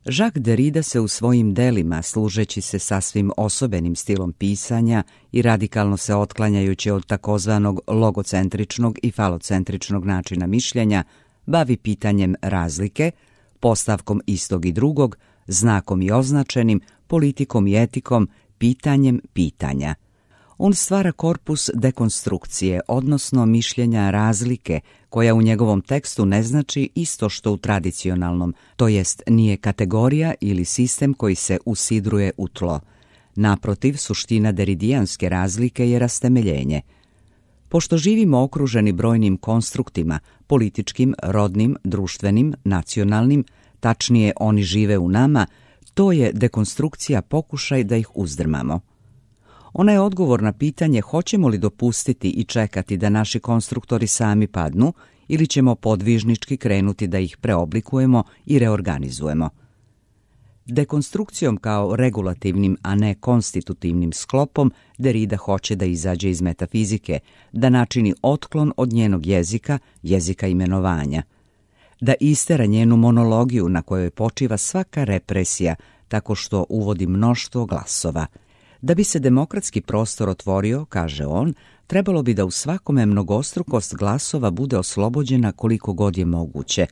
Jacques Derrida se u svojim delima, služeći se sasvim osobenim stilom pisanja i radikalno se otklanjajući od takozvanog logocentričnog i falocentričnog načina mišljenja, bavi pitanjem razlike, postavkom istog i drugog, znakom i označenim, politikom i etikom, pitanjem pitanja. On stvara korpus dekonstrukcije, odnosno mišljenja razlike, koja u njegovom tekstu ne znači isto što u tradicionalnom, to jest nije kategorija ili sistem koji se usidruje u tlo. Naprotiv, suština deridijanske razlike je rastemeljenje. Pošto živimo okruženi brojnim konstruktima, političkim, rodnim, društvenim, nacionalnim, tačnije oni žive u nama, to je dekonstrukcija pokušaj da ih uzdrmamo. Ona je odgovor na pitanje hoćemo li dopustiti i čekati da naši konstruktori sami padnu ili ćemo podvižnički krenuti da ih preoblikujemo i reorganizujemo. Dekonstrukcijom kao regulativnim, a ne konstitutivnim sklopom Derrida hoće da izađe iz metafizike, da načini otklon od njenog jezika, jezika imenovanja, da istera njenu monologiju na kojoj počiva svaka represija tako što uvodi mnoštvo glasova. Da bi se demokratski prostor otvorio, kaže on, trebalo bi da u svakome mnogostrukost glasova bude oslobođena koliko god je moguće.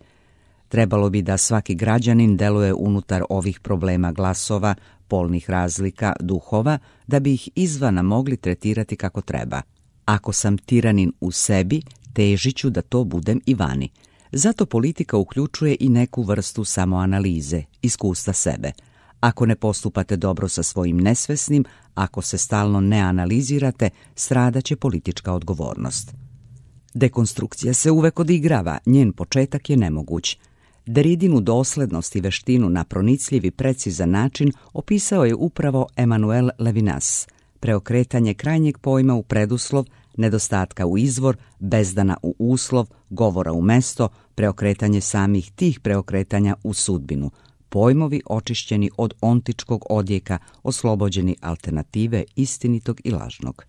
Trebalo bi da svaki građanin deluje unutar ovih problema glasova, polnih razlika, duhova, da bi ih izvana mogli tretirati kako treba. Ako sam tiranin u sebi, težit ću da to budem i vani. Zato politika uključuje i neku vrstu samoanalize, iskustva sebe. Ako ne postupate dobro sa svojim nesvesnim, ako se stalno ne analizirate, stradaće politička odgovornost. Dekonstrukcija se uvek odigrava, njen početak je nemoguć. Derridinu doslednost i veštinu na pronicljiv i precizan način opisao je upravo Emmanuel Levinas. Preokretanje krajnjeg pojma u preduslov, nedostatka u izvor, bezdana u uslov, govora u mesto, preokretanje samih tih preokretanja u sudbinu. Pojmovi očišćeni od ontičkog odjeka, oslobođeni alternative istinitog i lažnog.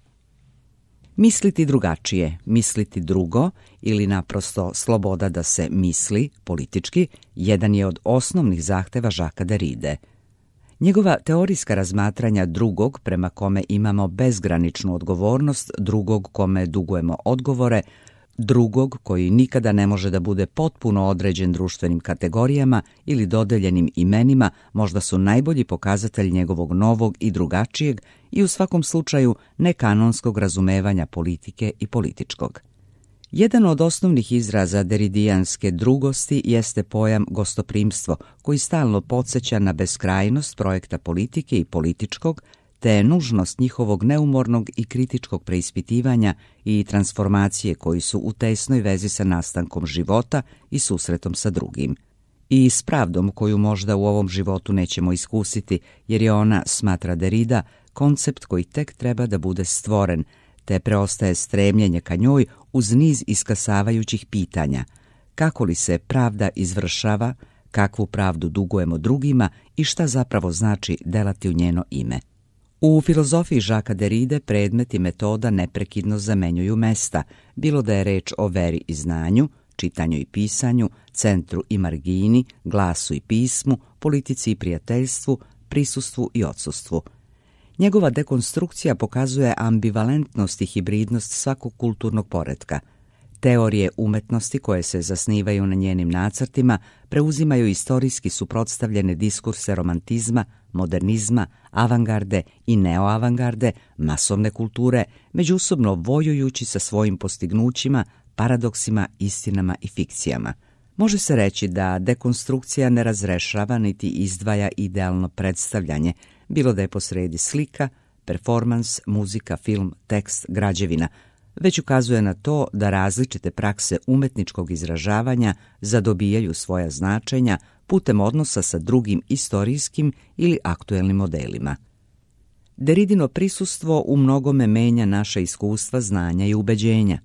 Misliti drugačije, misliti drugo ili naprosto sloboda da se misli politički, jedan je od osnovnih zahteva Jacquesa Derride. Njegova teorijska razmatranja drugog, prema kome imamo bezgraničnu odgovornost, drugog kome dugujemo odgovore, drugog koji nikada ne može da bude potpuno određen društvenim kategorijama ili dodeljenim imenima, možda su najbolji pokazatelj njegovog novog i drugačijeg i u svakom slučaju nekanonskog razumevanja politike i političkog. Jedan od osnovnih izraza deridijanske drugosti jeste pojam gostoprimstvo, koji stalno podsjeća na beskrajnost projekta politike i političkog, te nužnost njihovog neumornog i kritičkog preispitivanja i transformacije koji su u tesnoj vezi sa nastankom života i susretom sa drugim. I s pravdom koju možda u ovom životu nećemo iskusiti, jer je ona, smatra Derrida, koncept koji tek treba da bude stvoren, te preostaje stremljenje ka njoj uz niz iskasavajućih pitanja. Kako li se pravda izvršava, kakvu pravdu dugujemo drugima i šta zapravo znači delati u njeno ime. U filozofiji Jacquesa Derride predmet i metoda neprekidno zamenjuju mesta, bilo da je reč o veri i znanju, čitanju i pisanju, centru i margini, glasu i pismu, politici i prijateljstvu, prisustvu i odsustvu. Njegova dekonstrukcija pokazuje ambivalentnost i hibridnost svakog kulturnog poretka. Teorije umetnosti koje se zasnivaju na njenim nacrtima preuzimaju istorijski suprotstavljene diskurse romantizma, modernizma, avangarde i neoavangarde, masovne kulture, međusobno vojujući sa svojim postignućima, paradoksima, istinama i fikcijama. Može se reći da dekonstrukcija ne razrešava niti izdvaja idealno predstavljanje, bilo da je posredi slika, performans, muzika, film, tekst, građevina, već ukazuje na to da različite prakse umetničkog izražavanja zadobijaju svoja značenja putem odnosa sa drugim istorijskim ili aktuelnim modelima. Derridino prisustvo u mnogome menja naša iskustva, znanja i ubeđenja.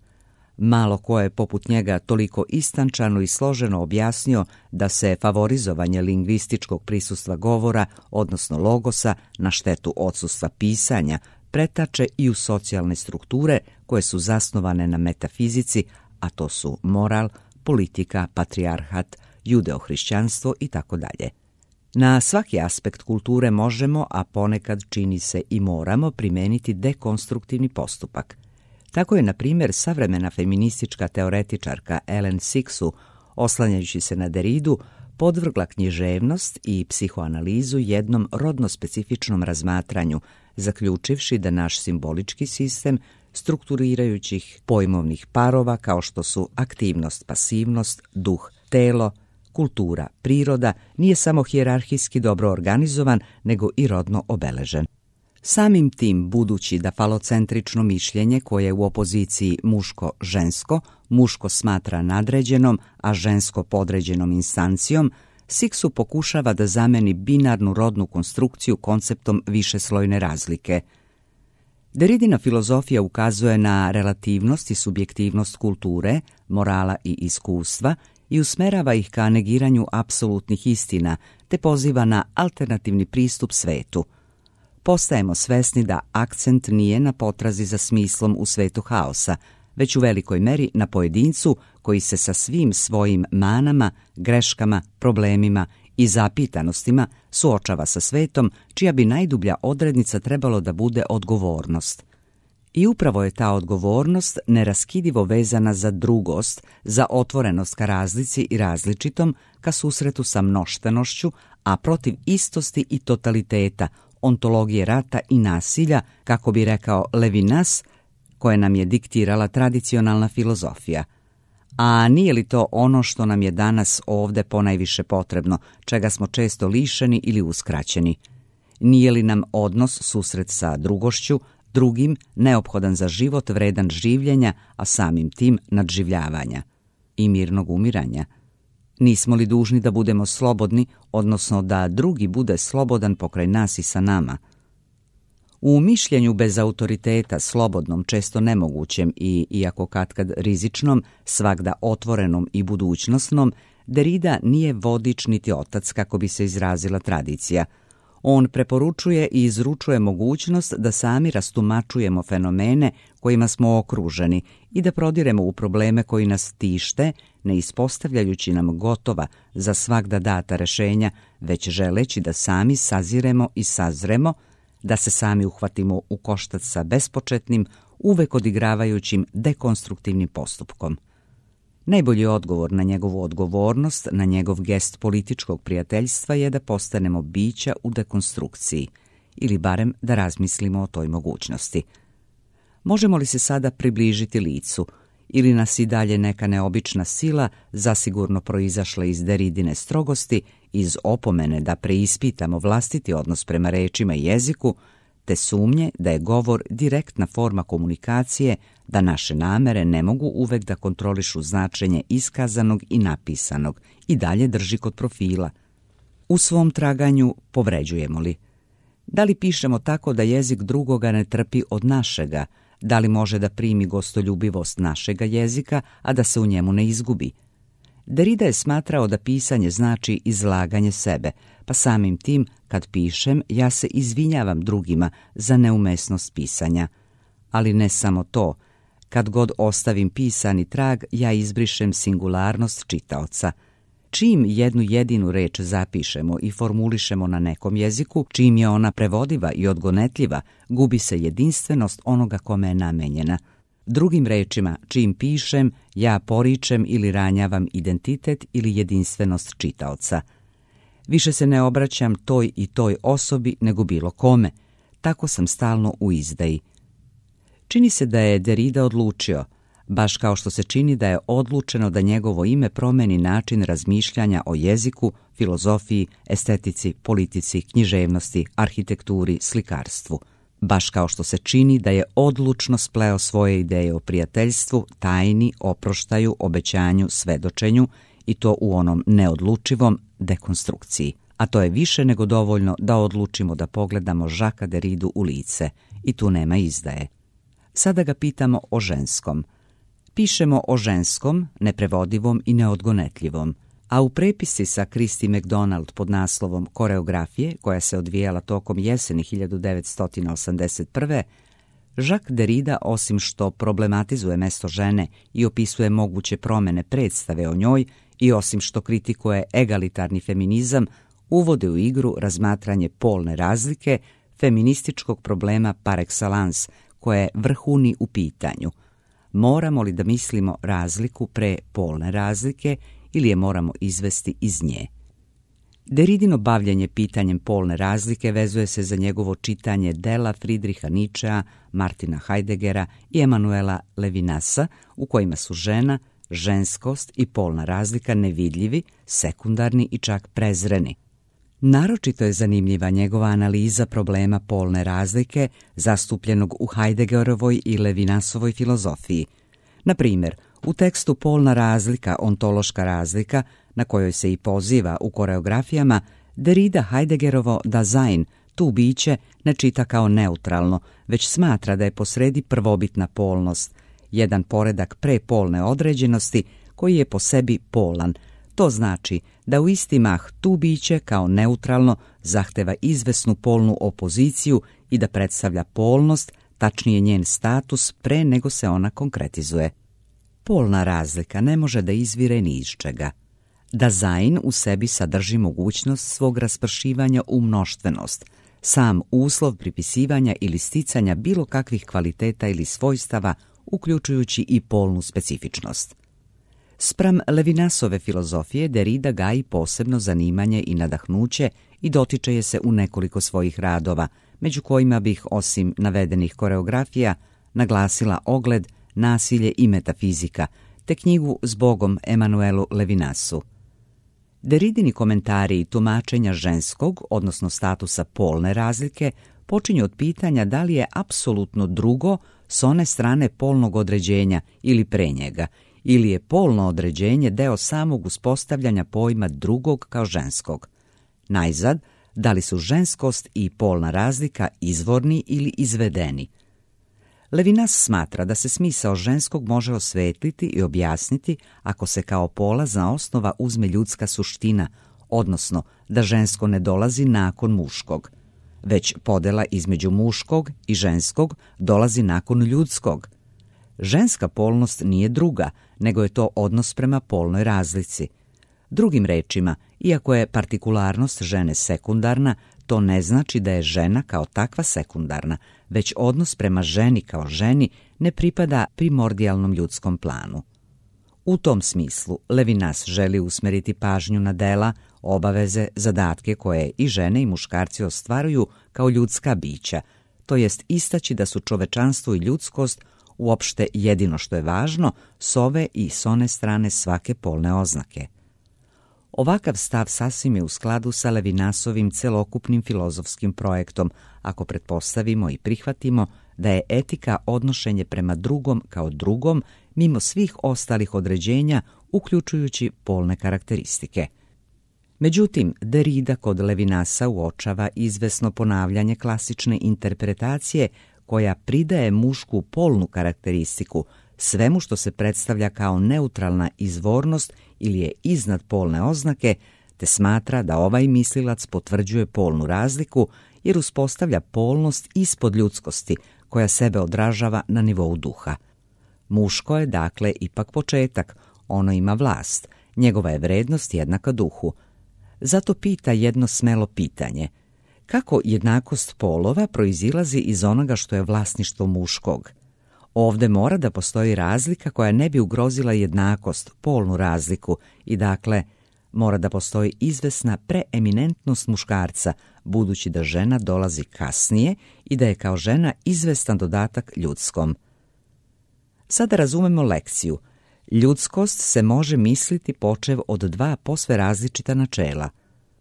Malo ko je poput njega toliko istančano i složeno objasnio da se favorizovanje lingvističkog prisustva govora, odnosno logosa, na štetu odsustva pisanja, pretače i u socijalne strukture koje su zasnovane na metafizici, a to su moral, politika, patrijarhat, judeohrišćanstvo itd. Na svaki aspekt kulture možemo, a ponekad čini se i moramo, primeniti dekonstruktivni postupak. Tako je, na primjer, savremena feministička teoretičarka Ellen Sixu, oslanjajući se na Deridu, podvrgla književnost i psihoanalizu jednom rodno specifičnom razmatranju, zaključivši da naš simbolički sistem strukturirajućih pojmovnih parova kao što su aktivnost, pasivnost, duh, telo, kultura, priroda, nije samo hijerarhijski dobro organizovan, nego i rodno obeležen. Samim tim, budući da falocentrično mišljenje koje je u opoziciji muško-žensko, muško smatra nadređenom, a žensko podređenom instancijom, Sixu pokušava da zameni binarnu rodnu konstrukciju konceptom višeslojne razlike. Deridina filozofija ukazuje na relativnost i subjektivnost kulture, morala i iskustva i usmerava ih ka negiranju apsolutnih istina, te poziva na alternativni pristup svetu. Postajemo svesni da akcent nije na potrazi za smislom u svetu haosa, već u velikoj meri na pojedincu koji se sa svim svojim manama, greškama, problemima i zapitanostima suočava sa svetom, čija bi najdublja odrednica trebalo da bude odgovornost. I upravo je ta odgovornost neraskidivo vezana za drugost, za otvorenost ka razlici i različitom, ka susretu sa mnoštenošću, a protiv istosti i totaliteta, ontologije rata i nasilja, kako bi rekao Levinas, koje nam je diktirala tradicionalna filozofija. A nije li to ono što nam je danas ovde ponajviše potrebno, čega smo često lišeni ili uskraćeni? Nije li nam odnos, susret sa drugošću, drugim, neophodan za život, vredan življenja, a samim tim nadživljavanja i mirnog umiranja? Nismo li dužni da budemo slobodni, odnosno da drugi bude slobodan pokraj nas i sa nama? U mišljenju bez autoriteta, slobodnom, često nemogućem i, iako katkad rizičnom, svagda otvorenom i budućnosnom, Derrida nije vodič niti otac, kako bi se izrazila tradicija. On preporučuje i izručuje mogućnost da sami rastumačujemo fenomene kojima smo okruženi i da prodiremo u probleme koji nas tište, ne ispostavljajući nam gotova za svagda data rešenja, već želeći da sami saziremo i sazremo, da se sami uhvatimo u koštac sa bespočetnim, uvek odigravajućim dekonstruktivnim postupkom. Najbolji odgovor na njegovu odgovornost, na njegov gest političkog prijateljstva je da postanemo bića u dekonstrukciji, ili barem da razmislimo o toj mogućnosti. Možemo li se sada približiti licu, ili nas i dalje neka neobična sila, zasigurno proizašla iz Derridine strogosti, iz opomene da preispitamo vlastiti odnos prema rečima i jeziku, te sumnje da je govor direktna forma komunikacije, da naše namere ne mogu uvek da kontrolišu značenje iskazanog i napisanog, i dalje drži kod profila. U svom traganju povređujemo li? Da li pišemo tako da jezik drugoga ne trpi od našega? Da li može da primi gostoljubivost našega jezika, a da se u njemu ne izgubi? Derrida je smatrao da pisanje znači izlaganje sebe, pa samim tim, kad pišem, ja se izvinjavam drugima za neumesnost pisanja. Ali ne samo to. Kad god ostavim pisani trag, ja izbrišem singularnost čitaoca. Čim jednu jedinu reč zapišemo i formulišemo na nekom jeziku, čim je ona prevodiva i odgonetljiva, gubi se jedinstvenost onoga kome je namenjena. Drugim rečima, čim pišem, ja poričem ili ranjavam identitet ili jedinstvenost čitaoca. Više se ne obraćam toj i toj osobi nego bilo kome. Tako sam stalno u izdaji. Čini se da je Derrida odlučio, baš kao što se čini da je odlučeno da njegovo ime promeni način razmišljanja o jeziku, filozofiji, estetici, politici, književnosti, arhitekturi, slikarstvu. Baš kao što se čini da je odlučno spleo svoje ideje o prijateljstvu, tajni, oproštaju, obećanju, svedočenju, i to u onom neodlučivom dekonstrukciji. A to je više nego dovoljno da odlučimo da pogledamo Jacquesa Derridu u lice, i tu nema izdaje. Sada ga pitamo o ženskom. Pišemo o ženskom, neprevodivom i neodgonetljivom, a u prepisci sa Christy McDonald pod naslovom Koreografije, koja se odvijala tokom jeseni 1981. Jacques Derrida, osim što problematizuje mesto žene i opisuje moguće promene predstave o njoj, i osim što kritikuje egalitarni feminizam, uvode u igru razmatranje polne razlike, feminističkog problema par excellence, koje vrhuni u pitanju. Moramo li da mislimo razliku pre polne razlike ili je moramo izvesti iz nje? Derridino bavljenje pitanjem polne razlike vezuje se za njegovo čitanje dela Friedricha Nietzschea, Martina Heideggera i Emanuela Levinasa, u kojima su žena, ženskost i polna razlika nevidljivi, sekundarni i čak prezreni. Naročito je zanimljiva njegova analiza problema polne razlike zastupljenog u Heideggerovoj i Levinasovoj filozofiji. Na primjer, u tekstu Polna razlika, ontološka razlika, na kojoj se i poziva u koreografijama, Derrida Heideggerovo Dasein, tu biće, ne čita kao neutralno, već smatra da je posredi prvobitna polnost, jedan poredak prepolne određenosti koji je po sebi polan. To znači da u isti mah tu biće kao neutralno zahteva izvesnu polnu opoziciju i da predstavlja polnost, tačnije njen status, pre nego se ona konkretizuje. Polna razlika ne može da izvire ni iz čega. Dasein u sebi sadrži mogućnost svog raspršivanja u mnoštvenost, sam uslov pripisivanja ili sticanja bilo kakvih kvaliteta ili svojstava, uključujući i polnu specifičnost. Spram Levinasove filozofije Derrida gaji posebno zanimanje i nadahnuće i dotiče je se u nekoliko svojih radova, među kojima bih, osim navedenih koreografija, naglasila Ogled, nasilje i metafizika, te knjigu Zbogom Emanuelu Levinasu. Derridini komentari i tumačenja ženskog, odnosno statusa polne razlike, počinju od pitanja da li je apsolutno drugo s one strane polnog određenja ili pre njega, ili je polno određenje deo samog uspostavljanja pojma drugog kao ženskog. Najzad, da li su ženskost i polna razlika izvorni ili izvedeni. Levinas smatra da se smisao ženskog može osvetliti i objasniti ako se kao polazna osnova uzme ljudska suština, odnosno da žensko ne dolazi nakon muškog, već podela između muškog i ženskog dolazi nakon ljudskog. Ženska polnost nije druga, nego je to odnos prema polnoj razlici. Drugim rečima, iako je partikularnost žene sekundarna, to ne znači da je žena kao takva sekundarna, već odnos prema ženi kao ženi ne pripada primordijalnom ljudskom planu. U tom smislu Levinas želi usmeriti pažnju na dela, obaveze, zadatke koje i žene i muškarci ostvaruju kao ljudska bića, to jest istaći da su čovečanstvo i ljudskost uopšte jedino što je važno s ove i s one strane svake polne oznake. Ovakav stav sasvim je u skladu sa Levinasovim celokupnim filozofskim projektom, ako pretpostavimo i prihvatimo da je etika odnošenje prema drugom kao drugom, mimo svih ostalih određenja, uključujući polne karakteristike. Međutim, Derrida kod Levinasa uočava izvesno ponavljanje klasične interpretacije koja pridaje mušku polnu karakteristiku svemu što se predstavlja kao neutralna izvornost ili je iznad polne oznake, te smatra da ovaj mislilac potvrđuje polnu razliku jer uspostavlja polnost ispod ljudskosti koja sebe odražava na nivou duha. Muško je, dakle, ipak početak, ono ima vlast, njegova je vrednost jednaka duhu. Zato pita jedno smelo pitanje: kako jednakost polova proizilazi iz onoga što je vlasništvo muškog? Ovde mora da postoji razlika koja ne bi ugrozila jednakost, polnu razliku, i dakle mora da postoji izvesna preeminentnost muškarca, budući da žena dolazi kasnije i da je kao žena izvestan dodatak ljudskom. Sada razumemo lekciju. Ljudskost se može misliti počev od dva posve različita načela.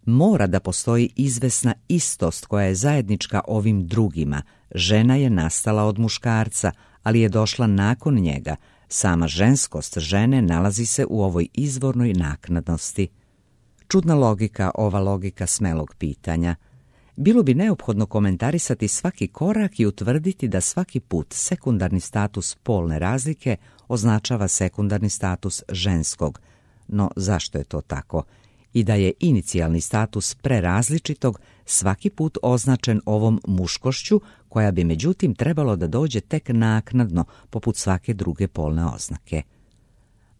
Mora da postoji izvesna istost koja je zajednička ovim drugima. Žena je nastala od muškarca, ali je došla nakon njega. Sama ženskost žene nalazi se u ovoj izvornoj naknadnosti. Čudna logika, ova logika smelog pitanja. Bilo bi neophodno komentarisati svaki korak i utvrditi da svaki put sekundarni status polne razlike označava sekundarni status ženskog. No zašto je to tako? I da je inicijalni status prerazličitog svaki put označen ovom muškošću, koja bi međutim trebalo da dođe tek naknadno, poput svake druge polne oznake.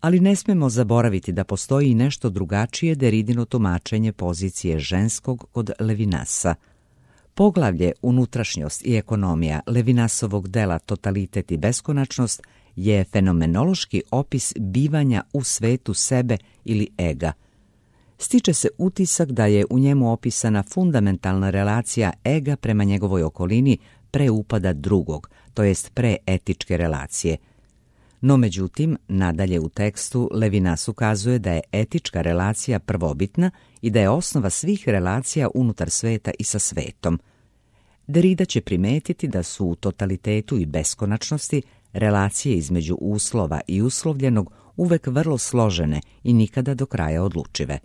Ali ne smemo zaboraviti da postoji i nešto drugačije Deridino tumačenje pozicije ženskog kod Levinasa. Poglavlje Unutrašnjost i ekonomija Levinasovog dela Totalitet i beskonačnost je fenomenološki opis bivanja u svetu sebe ili ega. Stiče se utisak da je u njemu opisana fundamentalna relacija ega prema njegovoj okolini pre upada drugog, to jest pre etičke relacije. No međutim, nadalje u tekstu Levinas ukazuje da je etička relacija prvobitna i da je osnova svih relacija unutar sveta i sa svetom. Derrida će primetiti da su u totalitetu i beskonačnosti relacije između uslova i uslovljenog uvek vrlo složene i nikada do kraja odlučive.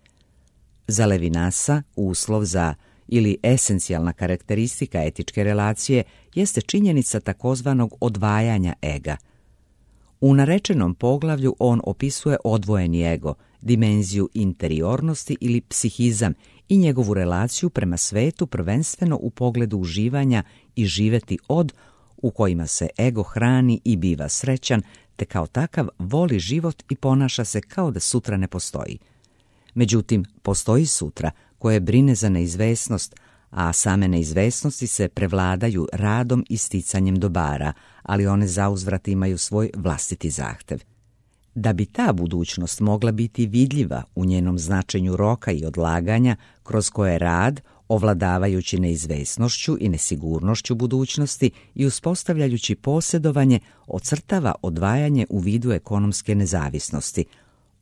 Za Levinasa uslov za ili esencijalna karakteristika etičke relacije jeste činjenica takozvanog odvajanja ega. U narečenom poglavlju on opisuje odvojeni ego, dimenziju interiornosti ili psihizam i njegovu relaciju prema svetu prvenstveno u pogledu uživanja i živeti od, u kojima se ego hrani i biva srećan, te kao takav voli život i ponaša se kao da sutra ne postoji. Međutim, postoji sutra koje brine za neizvesnost, a same neizvesnosti se prevladaju radom i sticanjem dobara, ali one zauzvrat imaju svoj vlastiti zahtev. Da bi ta budućnost mogla biti vidljiva u njenom značenju roka i odlaganja, kroz koje rad, ovladavajući neizvesnošću i nesigurnošću budućnosti i uspostavljajući posjedovanje, ocrtava odvajanje u vidu ekonomske nezavisnosti.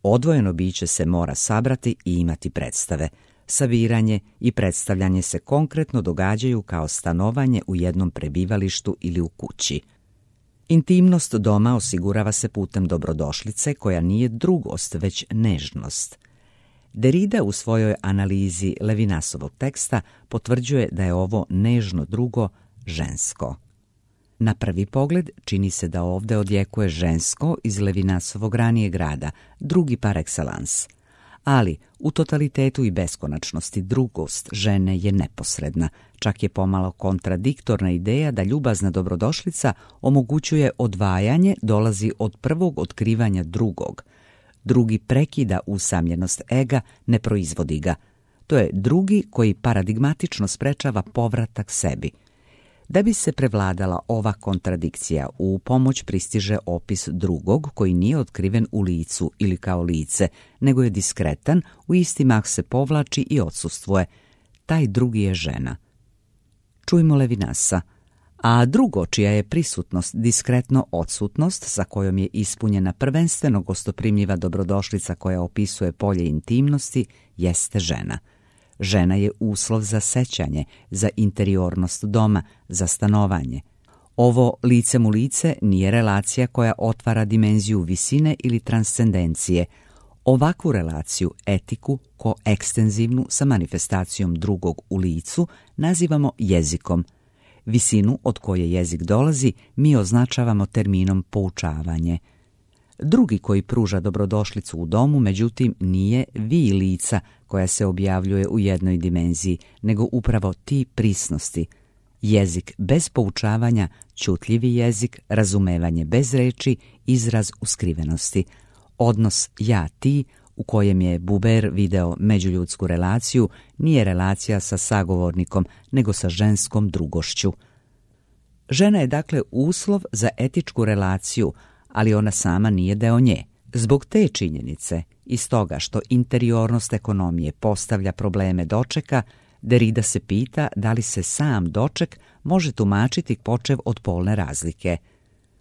Odvojeno biće se mora sabrati i imati predstave. Sabiranje i predstavljanje se konkretno događaju kao stanovanje u jednom prebivalištu ili u kući. Intimnost doma osigurava se putem dobrodošlice koja nije drugost, već nežnost. Derrida u svojoj analizi Levinasovog teksta potvrđuje da je ovo nežno drugo žensko. Na prvi pogled čini se da ovdje odjekuje žensko iz Levinasovog ranijeg rada, drugi par excellence. Ali u totalitetu i beskonačnosti drugost žene je neposredna, čak je pomalo kontradiktorna ideja da ljubazna dobrodošlica omogućuje odvajanje, dolazi od prvog otkrivanja drugog. Drugi prekida usamljenost ega, ne proizvodi ga. To je drugi koji paradigmatično sprečava povratak sebi. Da bi se prevladala ova kontradikcija, u pomoć pristiže opis drugog koji nije otkriven u licu ili kao lice, nego je diskretan, u isti mah se povlači i odsustvuje. Taj drugi je žena. Čujmo Levinasa. A drugo, čija je prisutnost diskretno odsutnost, sa kojom je ispunjena prvenstveno gostoprimljiva dobrodošlica koja opisuje polje intimnosti, jeste žena. Žena je uslov za sećanje, za interiornost doma, za stanovanje. Ovo licem u lice nije relacija koja otvara dimenziju visine ili transcendencije. Ovakvu relaciju, etiku, koekstenzivnu sa manifestacijom drugog u licu, nazivamo jezikom. Visinu od koje jezik dolazi mi označavamo terminom poučavanje. Drugi koji pruža dobrodošlicu u domu, međutim, nije vi lica koja se objavljuje u jednoj dimenziji, nego upravo ti prisnosti. Jezik bez poučavanja, čutljivi jezik, razumevanje bez reči, izraz uskrivenosti. Odnos ja-ti, u kojem je Buber video međuljudsku relaciju, nije relacija sa sagovornikom, nego sa ženskom drugošću. Žena je dakle uslov za etičku relaciju, ali ona sama nije deo nje. Zbog te činjenice i stoga što interiornost ekonomije postavlja probleme dočeka, Derrida se pita da li se sam doček može tumačiti počev od polne razlike.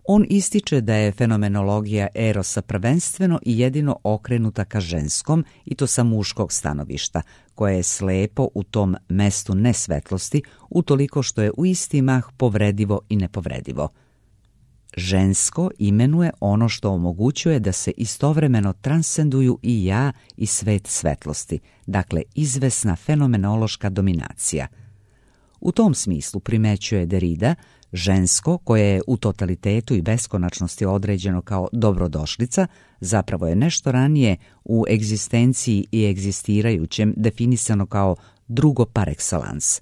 On ističe da je fenomenologija erosa prvenstveno i jedino okrenuta ka ženskom, i to sa muškog stanovišta, koje je slepo u tom mestu nesvetlosti, utoliko što je u isti mah povredivo i nepovredivo. Žensko imenuje ono što omogućuje da se istovremeno transcenduju i ja i svet svetlosti, dakle izvesna fenomenološka dominacija. U tom smislu primećuje Derrida, žensko, koje je u totalitetu i beskonačnosti određeno kao dobrodošlica, zapravo je nešto ranije u egzistenciji i egzistirajućem definisano kao drugo par excellence.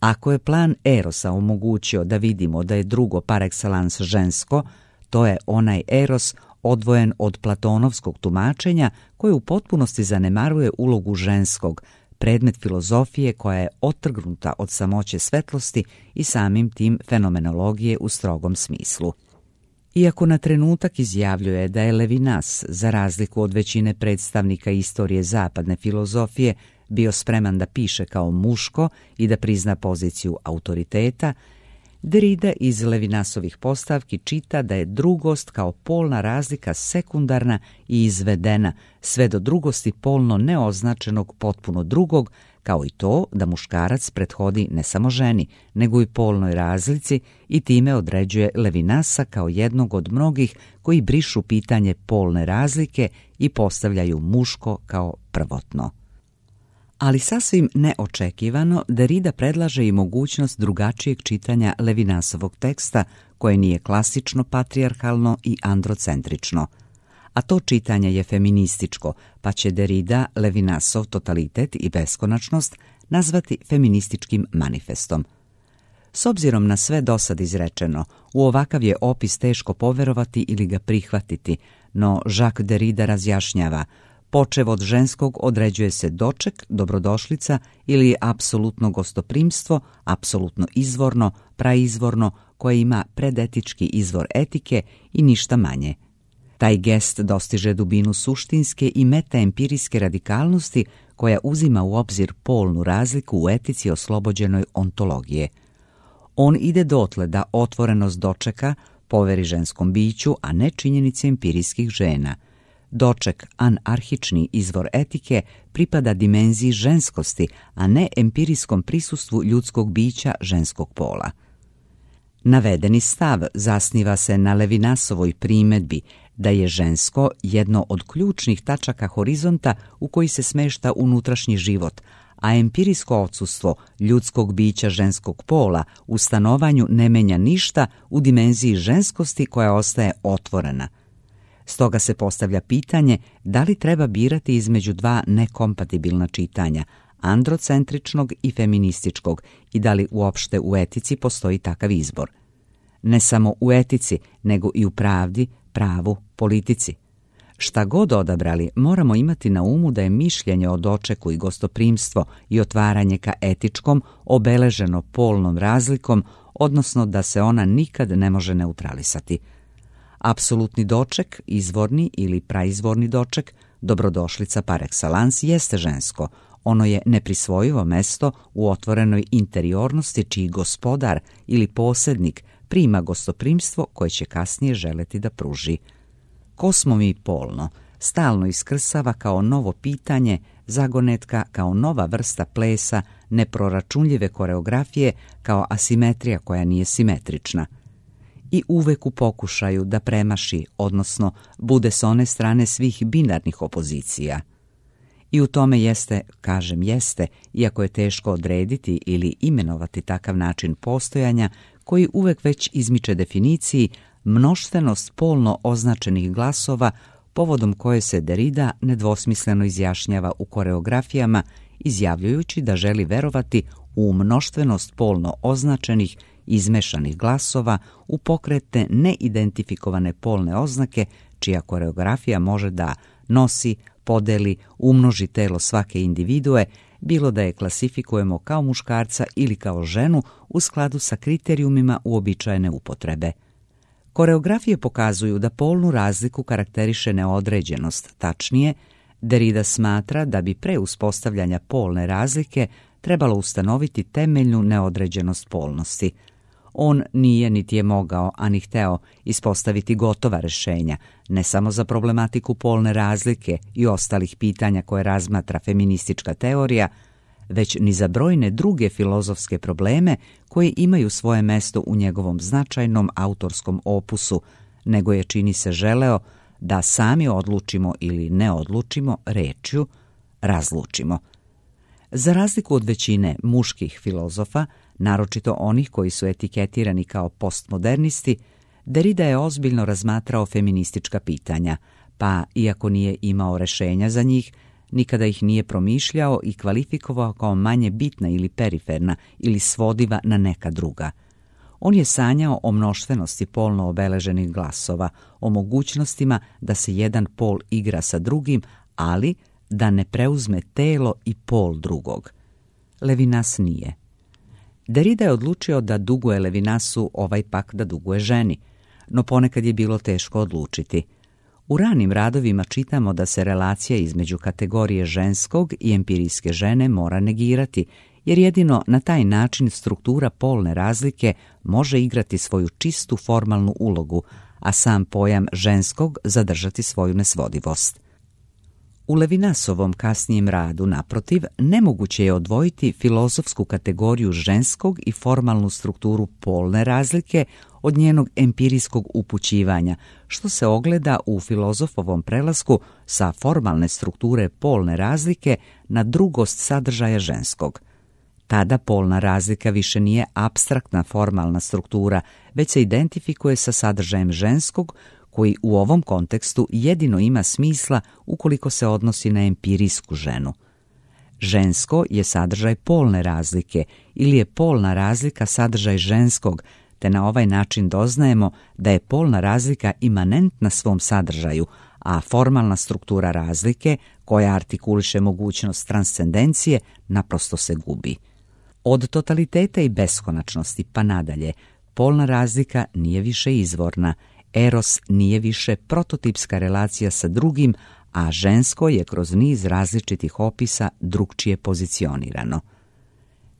Ako je plan erosa omogućio da vidimo da je drugo par excellence žensko, to je onaj eros odvojen od platonovskog tumačenja koje u potpunosti zanemaruje ulogu ženskog, predmet filozofije koja je otrgnuta od samoće svetlosti i samim tim fenomenologije u strogom smislu. Iako na trenutak izjavljuje da je Levinas, za razliku od većine predstavnika istorije zapadne filozofije, bio spreman da piše kao muško i da prizna poziciju autoriteta, Derrida iz Levinasovih postavki čita da je drugost kao polna razlika sekundarna i izvedena sve do drugosti polno neoznačenog potpuno drugog, kao i to da muškarac prethodi ne samo ženi, nego i polnoj razlici i time određuje Levinasa kao jednog od mnogih koji brišu pitanje polne razlike i postavljaju muško kao prvotno. Ali sasvim neočekivano, Derrida predlaže i mogućnost drugačijeg čitanja Levinasovog teksta, koje nije klasično patrijarhalno i androcentrično. A to čitanje je feminističko, pa će Derrida Levinasov totalitet i beskonačnost nazvati feminističkim manifestom. S obzirom na sve dosad izrečeno, u ovakav je opis teško poverovati ili ga prihvatiti, no Jacques Derrida razjašnjava: počev od ženskog određuje se doček, dobrodošlica ili apsolutno gostoprimstvo, apsolutno izvorno, praizvorno, koje ima predetički izvor etike i ništa manje. Taj gest dostiže dubinu suštinske i metaempirijske radikalnosti koja uzima u obzir polnu razliku u etici oslobođenoj ontologije. On ide dotle da otvorenost dočeka poveri ženskom biću, a ne činjenici empirijskih žena. Doček, anarhični izvor etike, pripada dimenziji ženskosti, a ne empirijskom prisustvu ljudskog bića ženskog pola. Navedeni stav zasniva se na Levinasovoj primedbi da je žensko jedno od ključnih tačaka horizonta u koji se smešta unutrašnji život, a empirijsko odsustvo ljudskog bića ženskog pola u stanovanju ne menja ništa u dimenziji ženskosti koja ostaje otvorena. Stoga se postavlja pitanje da li treba birati između dva nekompatibilna čitanja, androcentričnog i feminističkog, i da li uopšte u etici postoji takav izbor. Ne samo u etici, nego i u pravdi, pravu, politici. Šta god odabrali, moramo imati na umu da je mišljenje o dočeku i gostoprimstvo i otvaranje ka etičkom obeleženo polnom razlikom, odnosno da se ona nikad ne može neutralisati. Apsolutni doček, izvorni ili praizvorni doček, dobrodošlica par excellence, jeste žensko. Ono je neprisvojivo mesto u otvorenoj interiornosti čiji gospodar ili posjednik prima gostoprimstvo koje će kasnije želeti da pruži. Ko smo mi polno stalno iskrsava kao novo pitanje, zagonetka kao nova vrsta plesa, neproračunljive koreografije, kao asimetrija koja nije simetrična. I uvek u pokušaju da premaši, odnosno bude s one strane svih binarnih opozicija. I u tome jeste, kažem jeste, iako je teško odrediti ili imenovati takav način postojanja koji uvek već izmiče definiciji, mnoštvenost polno označenih glasova, povodom koje se Derrida nedvosmisleno izjašnjava u koreografijama, izjavljujući da želi verovati u mnoštvenost polno označenih izmešanih glasova u pokretne neidentifikovane polne oznake, čija koreografija može da nosi, podeli, umnoži telo svake individue, bilo da je klasifikujemo kao muškarca ili kao ženu u skladu sa kriterijumima uobičajene upotrebe. Koreografije pokazuju da polnu razliku karakteriše neodređenost, tačnije, Derrida smatra da bi pre uspostavljanja polne razlike trebalo ustanoviti temeljnu neodređenost polnosti. On nije niti je mogao, a ni hteo ispostaviti gotova rešenja, ne samo za problematiku polne razlike i ostalih pitanja koje razmatra feministička teorija, već ni za brojne druge filozofske probleme koji imaju svoje mesto u njegovom značajnom autorskom opusu, nego je, čini se, želeo da sami odlučimo ili ne odlučimo rečju razlučimo. Za razliku od većine muških filozofa, naročito onih koji su etiketirani kao postmodernisti, Derrida je ozbiljno razmatrao feministička pitanja, pa, iako nije imao rešenja za njih, nikada ih nije promišljao i kvalifikovao kao manje bitna ili periferna ili svodiva na neka druga. On je sanjao o mnoštvenosti polno obeleženih glasova, o mogućnostima da se jedan pol igra sa drugim, ali da ne preuzme telo i pol drugog. Levinas nije. Derrida je odlučio da duguje Levinasu, ovaj pak da duguje ženi, no ponekad je bilo teško odlučiti. U ranim radovima čitamo da se relacija između kategorije ženskog i empirijske žene mora negirati, jer jedino na taj način struktura polne razlike može igrati svoju čistu formalnu ulogu, a sam pojam ženskog zadržati svoju nesvodivost. U Levinasovom kasnijem radu, naprotiv, nemoguće je odvojiti filozofsku kategoriju ženskog i formalnu strukturu polne razlike od njenog empirijskog upućivanja, što se ogleda u filozofovom prelasku sa formalne strukture polne razlike na drugost sadržaja ženskog. Tada polna razlika više nije apstraktna formalna struktura, već se identifikuje sa sadržajem ženskog, koji u ovom kontekstu jedino ima smisla ukoliko se odnosi na empirijsku ženu. Žensko je sadržaj polne razlike ili je polna razlika sadržaj ženskog, te na ovaj način doznajemo da je polna razlika imanentna svom sadržaju, a formalna struktura razlike, koja artikuliše mogućnost transcendencije, naprosto se gubi. Od totaliteta i beskonačnosti pa nadalje, polna razlika nije više izvorna, eros nije više prototipska relacija sa drugim, a žensko je kroz niz različitih opisa drukčije pozicionirano.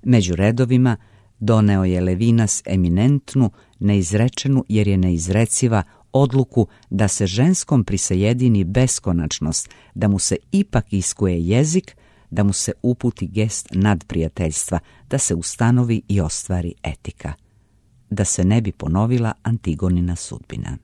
Među redovima doneo je Levinas eminentnu, neizrečenu jer je neizreciva, odluku da se ženskom prisajedini beskonačnost, da mu se ipak iskuje jezik, da mu se uputi gest nadprijateljstva, da se ustanovi i ostvari etika. Da se ne bi ponovila Antigonina sudbina.